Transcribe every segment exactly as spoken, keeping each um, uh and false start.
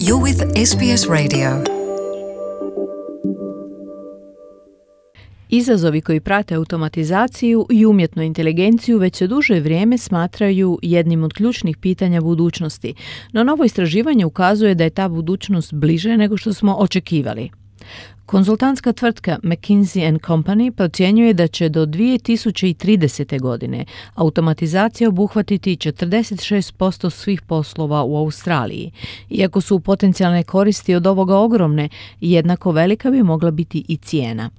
You're with S B S Radio. Izazovi koji prate automatizaciju i umjetnu inteligenciju već se duže vrijeme smatraju jednim od ključnih pitanja budućnosti, no novo istraživanje ukazuje da je ta budućnost bliže nego što smo očekivali. Konzultantska tvrtka McKinsey and Company procjenjuje da će do dvije tisuće tridesete. godine automatizacija obuhvatiti četrdeset šest posto svih poslova u Australiji. Iako su potencijalne koristi od ovoga ogromne, jednako velika bi mogla biti i cijena.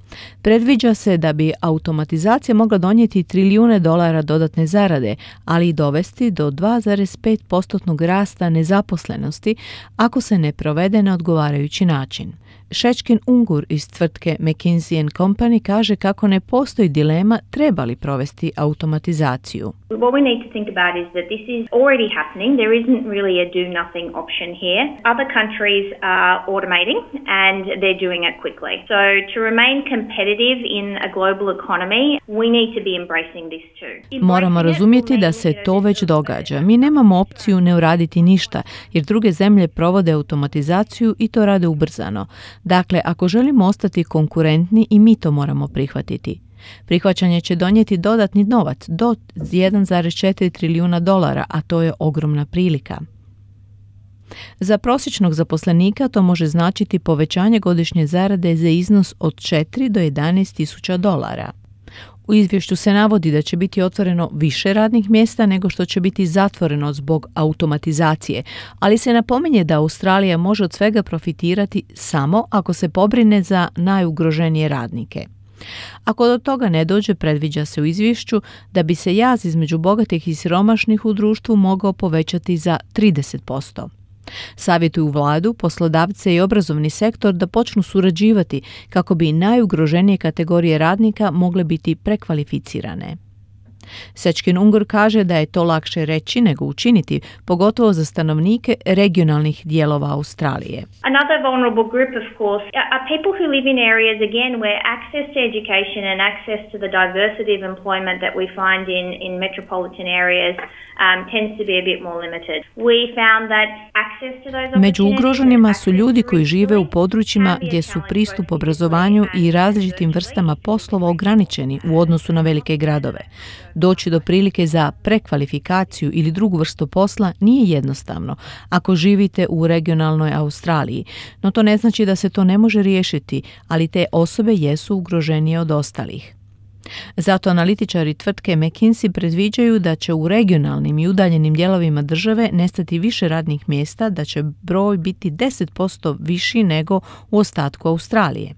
Predviđa se da bi automatizacija mogla donijeti trilijune dolara dodatne zarade, ali i dovesti do dva zarez pet posto rasta nezaposlenosti ako se ne provede na odgovarajući način. Šečkin Ungur iz tvrtke McKinsey and Company kaže kako ne postoji dilema treba li provesti automatizaciju. What we need to think about is that this is already happening. There isn't really a do-nothing option here. Other countries are automating and they're doing it quickly. So to remain competitive in a global economy, we need to be embracing this too. Moramo razumjeti da se to već događa. Mi nemamo opciju ne uraditi ništa, jer druge zemlje provode automatizaciju i to rade ubrzano. Dakle, ako želimo ostati konkurentni, i mi to moramo prihvatiti. Prihvaćanje će donijeti dodatni novac do jedan zarez četiri trilijuna dolara, a to je ogromna prilika. Za prosječnog zaposlenika to može značiti povećanje godišnje zarade za iznos od četiri do jedanaest tisuća dolara. U izvješću se navodi da će biti otvoreno više radnih mjesta nego što će biti zatvoreno zbog automatizacije, ali se napominje da Australija može od svega profitirati samo ako se pobrine za najugroženije radnike. Ako do toga ne dođe, predviđa se u izvješću da bi se jaz između bogatih i siromašnih u društvu mogao povećati za trideset posto. Savjetuju vladu, poslodavce i obrazovni sektor da počnu surađivati kako bi najugroženije kategorije radnika mogle biti prekvalificirane. Šečkin Ungur kaže da je to lakše reći nego učiniti, pogotovo za stanovnike regionalnih dijelova Australije. Another vulnerable group, of course, are people who live in areas, again, where access to education and access to the diversity of employment that we find in, in metropolitan areas um, tends to be a bit more limited. We found that access to those opportunities... Među ugroženima su ljudi koji žive u područjima gdje su pristup obrazovanju i različitim vrstama poslova ograničeni u odnosu na velike gradove. Doći do prilike za prekvalifikaciju ili drugu vrstu posla nije jednostavno ako živite u regionalnoj Australiji, no to ne znači da se to ne može riješiti, ali te osobe jesu ugroženije od ostalih. Zato analitičari tvrtke McKinsey predviđaju da će u regionalnim i udaljenim dijelovima države nestati više radnih mjesta, da će broj biti deset posto viši nego u ostatku Australije.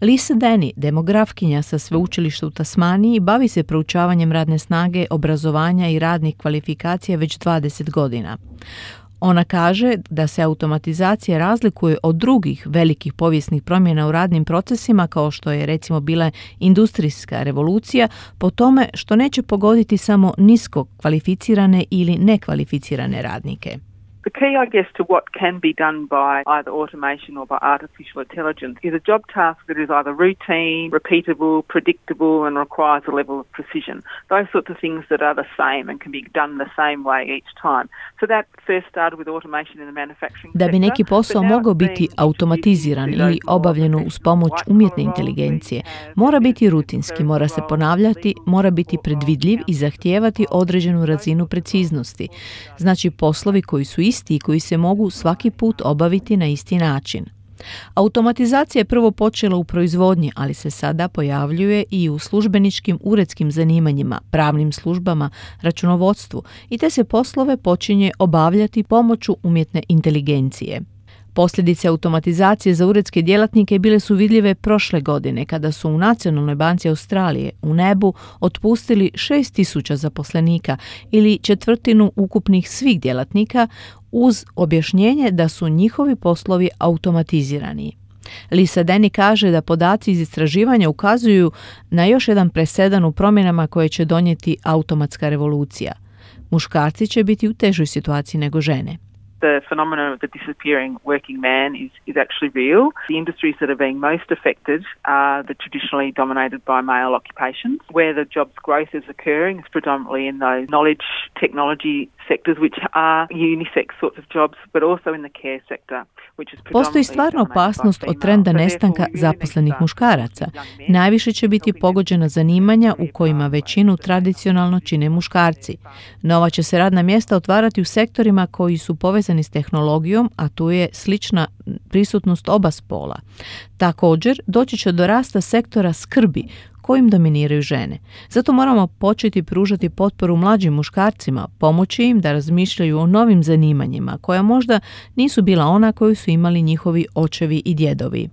Lisa Denny, demografkinja sa sveučilišta u Tasmaniji, bavi se proučavanjem radne snage, obrazovanja i radnih kvalifikacija već dvadeset godina. Ona kaže da se automatizacija razlikuje od drugih velikih povijesnih promjena u radnim procesima, kao što je recimo bila industrijska revolucija, po tome što neće pogoditi samo nisko kvalificirane ili nekvalificirane radnike. The key, I guess, to what can be done by either automation or by artificial intelligence is a job task that is either routine, repeatable, predictable, and requires a level of precision. Those sorts of things that are the same and can be done the same way each time. So that first started with automation in the manufacturing sector. Da bi neki posao mogao biti automatiziran ili obavljen uz pomoć umjetne inteligencije, mora biti rutinski, mora se ponavljati, mora biti predvidljiv i zahtijevati određenu razinu preciznosti. Znači poslovi koji su isti i koji se mogu svaki put obaviti na isti način. Automatizacija je prvo počela u proizvodnji, ali se sada pojavljuje i u službeničkim uredskim zanimanjima, pravnim službama, računovodstvu i te se poslove počinje obavljati pomoću umjetne inteligencije. Posljedice automatizacije za uredske djelatnike bile su vidljive prošle godine kada su u Nacionalnoj banci Australije u nebu otpustili šest tisuća zaposlenika ili četvrtinu ukupnih svih djelatnika uz objašnjenje da su njihovi poslovi automatizirani. Lisa Denny kaže da podaci iz istraživanja ukazuju na još jedan presedan u promjenama koje će donijeti automatska revolucija. Muškarci će biti u težoj situaciji nego žene. The phenomenon of the disappearing working man is, is actually real. The industries that are being most affected are the traditionally dominated by male occupations. Where the jobs growth is occurring is predominantly in those knowledge technology sectors, which are unisex sorts of jobs, but also in the care sector. Postoji stvarna opasnost od trenda nestanka zaposlenih muškaraca. Najviše će biti pogođena zanimanja u kojima većinu tradicionalno čine muškarci. Nova će se radna mjesta otvarati u sektorima koji su povezani s tehnologijom, a tu je slična prisutnost oba spola. Također, doći će do rasta sektora skrbi, kojim dominiraju žene. Zato moramo početi pružati potporu mlađim muškarcima, pomoći im da razmišljaju o novim zanimanjima, koja možda nisu bila ona koju su imali njihovi očevi i djedovi.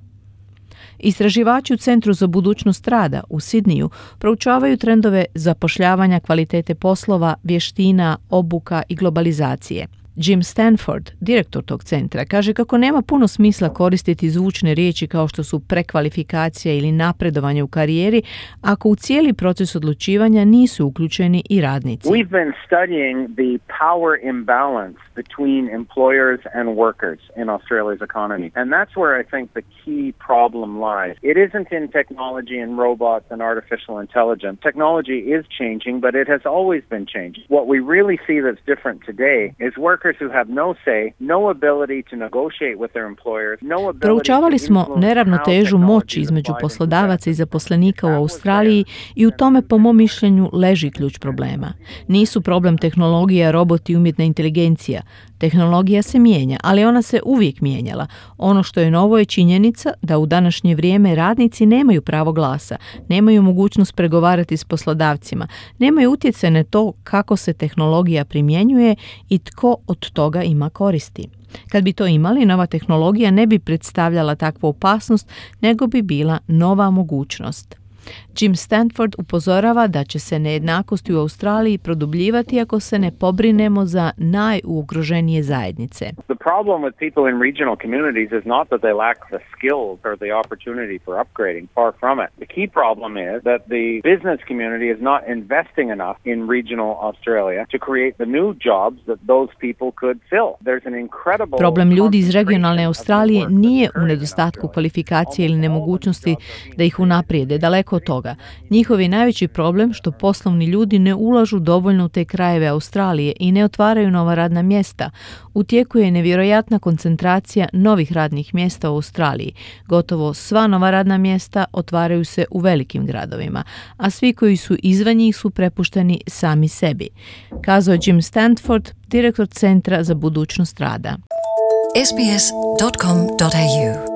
Istraživači u Centru za budućnost rada u Sidniju proučavaju trendove zapošljavanja, kvalitete poslova, vještina, obuka i globalizacije. Jim Stanford, direktor tog centra, kaže kako nema puno smisla koristiti zvučne riječi kao što su prekvalifikacija ili napredovanje u karijeri ako u cijeli proces odlučivanja nisu uključeni i radnici. We've been studying the power imbalance between employers and workers in Australia's economy. And that's where I think the key problem lies. It isn't in technology and robots and artificial intelligence. Technology is changing, but it has always been changing. What we really see that's different today is work who have no say, no ability to negotiate with their employers, no ability. Proučavali smo neravnotežu moći između poslodavaca i zaposlenika u Australiji i u tome, po mom mišljenju, leži ključ problema. Nisu problem tehnologija, roboti i umjetna inteligencija. Tehnologija se mijenja, ali ona se uvijek mijenjala. Ono što je novo je činjenica da u današnje vrijeme radnici nemaju pravo glasa, nemaju mogućnost pregovarati s poslodavcima, nemaju utjecaj na to kako se tehnologija primjenjuje i tko od toga ima koristi. Kad bi to imali, nova tehnologija ne bi predstavljala takvu opasnost, nego bi bila nova mogućnost. Jim Stanford upozorava da će se nejednakosti u Australiji produbljivati ako se ne pobrinemo za najugroženije zajednice. The problem with people in regional communities is not that they lack the skills or the opportunity for upgrading, far from it. The key problem is that the business community is not investing enough in regional Australia to create the new jobs that those people could fill. There's an incredible Problem ljudi iz regionalne Australije nije u nedostatku kvalifikacije ili nemogućnosti da ih unaprijede, daleko od toga. Njihov je najveći problem što poslovni ljudi ne ulažu dovoljno u te krajeve Australije i ne otvaraju nova radna mjesta. U tijeku je nevjerojatna koncentracija novih radnih mjesta u Australiji. Gotovo sva nova radna mjesta otvaraju se u velikim gradovima, a svi koji su izvan njih su prepušteni sami sebi. Kazao je Jim Stanford, direktor Centra za budućnost rada. S B S dot com dot A U